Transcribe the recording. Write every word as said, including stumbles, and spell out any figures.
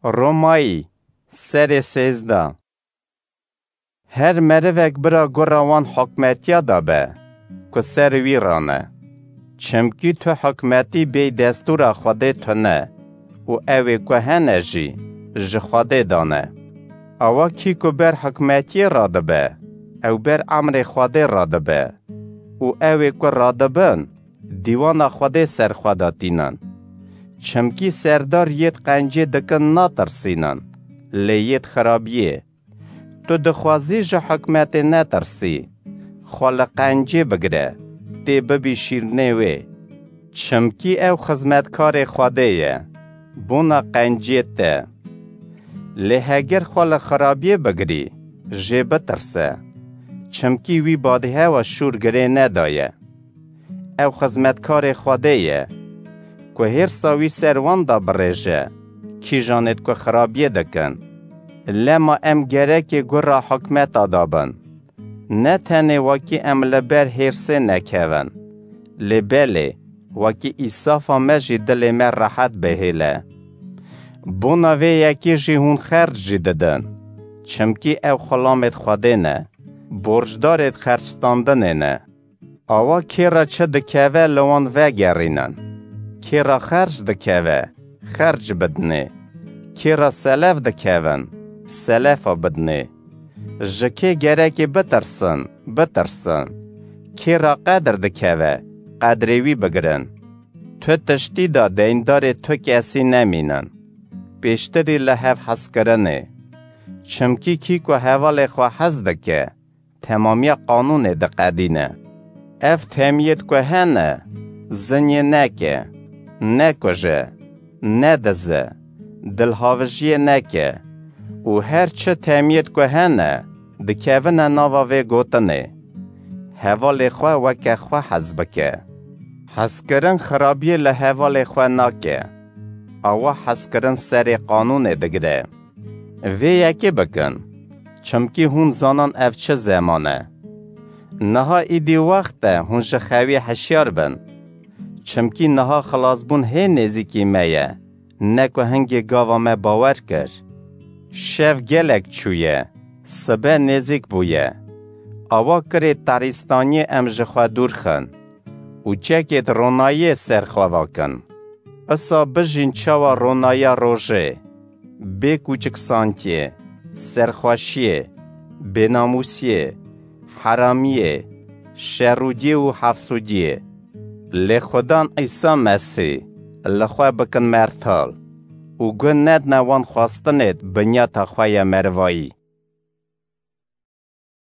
Romayî, serê sêzdeh. Her merivek bira gura wan hikmetiya da be, ku ser wî rane. Çimkî tu hikmetî bêy destûra Xwedê tune û ew ê ku hene jî ji Xwedê dane. Awa kî ku ber hikmetiyê radibe, ew ber emrê Xwedê radibe û ew ê ku radibin, dîwana Xwedê ser xwe de tînin. Çimkî serdar yêd qencê dikin natirsînin, lê yêd xirabiyê. Tu dixwazî ji hikmetê netirsî, xwe li qencê bigire, tê bibî şîrnê wê. Çimkî ew xizmetkarê Xwedê ye, bona qencê te. Lê heger xwe li xirabiyê bigirî, jê bitirse. Çimkî wî badîhewa şûr girê nedaye. Ew xizmetkarê Xwedê ye, ku hêrsa wî ser wan da birêje, kîjanêd ku xirabiyê dikin. Lema em gerekê gura hikmeta da bin. Ne tenê wekî em li ber hêrsê nekevin, lê belê wekî îsafa me jî dilê me rehet bihêle. Bona vê yekê jî hûn xerc jî didin, çimkî ew xulamêd Xwedê ne, borcdarêd xercstandinê ne. Awa kê re çi dikeve, li wan vegerînin. Kê re xerc dikeve, xerc bidinê. Kê re selef dikevin, selefa bidinê. Ji kê gerekê bitirsin, bitirsin. Kê re qedir dikeve, qedrê wî bigirin. Tu tiştî de deyndarê tu kesî nemînin. Pêştirî li hev hezkirinê. Çimkî kî ku hevalê xwe hez dike, temamiya qanûnê diqedîne. Ev temiyêd ku hene, zinyê neke, nekuje, nedize, dilhavijiyê neke û her çi temiyêd ku hene, dikevine nava vê gotinê. Hevalê xwe weke xwe hez bike. Hezkirin xirabiyê li hevalê xwe nake. Awa hezkirin serê qanûnê digire. Vê yekê bikin, çimkî hûn zanin ev çi zeman e. Niha îdî wext e hûn ji xewê hişyar bin. Çimkî niha xilasbûn hê nêzîkî me ye, ne ku hingê gava me bawer kir. Şev gelek çûye, sibe nêzîk bûye. Awa kirê tarîstaniyê em ji xwe dûr xin û çekêd ronayiyê ser xwe vakin. Isa bijîn çawa ronaya rojê, bê kûçiksantiyê, serxweşiyê, bênamûsiyê, heramiyê, şerûdiyê û hefsûdiyê. Lê Xudan Îsa Mesîh li xwe bikin mertal û guh nedine wan xwestinêd binyata xwe ya merivayî.